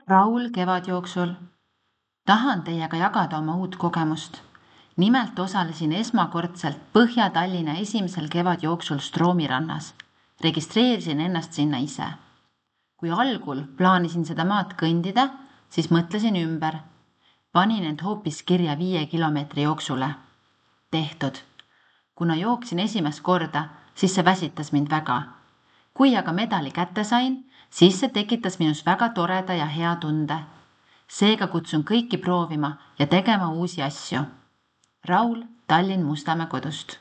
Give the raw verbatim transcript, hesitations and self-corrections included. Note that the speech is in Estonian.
Raul kevadjooksul. Tahan teiega jagada oma uut kogemust. Nimelt osalesin esmakordselt Põhja-Tallinna esimesel kevadjooksul Stroomi rannas. Registreerisin ennast sinna ise. Kui algul plaanisin seda maad kõndida, siis mõtlesin ümber. Panin end hoopis kirja viie kilomeetri jooksule. Tehtud. Kuna jooksin esimest korda, siis see väsitas mind väga. Kui aga medali kätte sain, siis see tekitas minus väga toreda ja hea tunde. Seega kutsun kõiki proovima ja tegema uusi asju. Raul Tallinn Mustamäe kodust.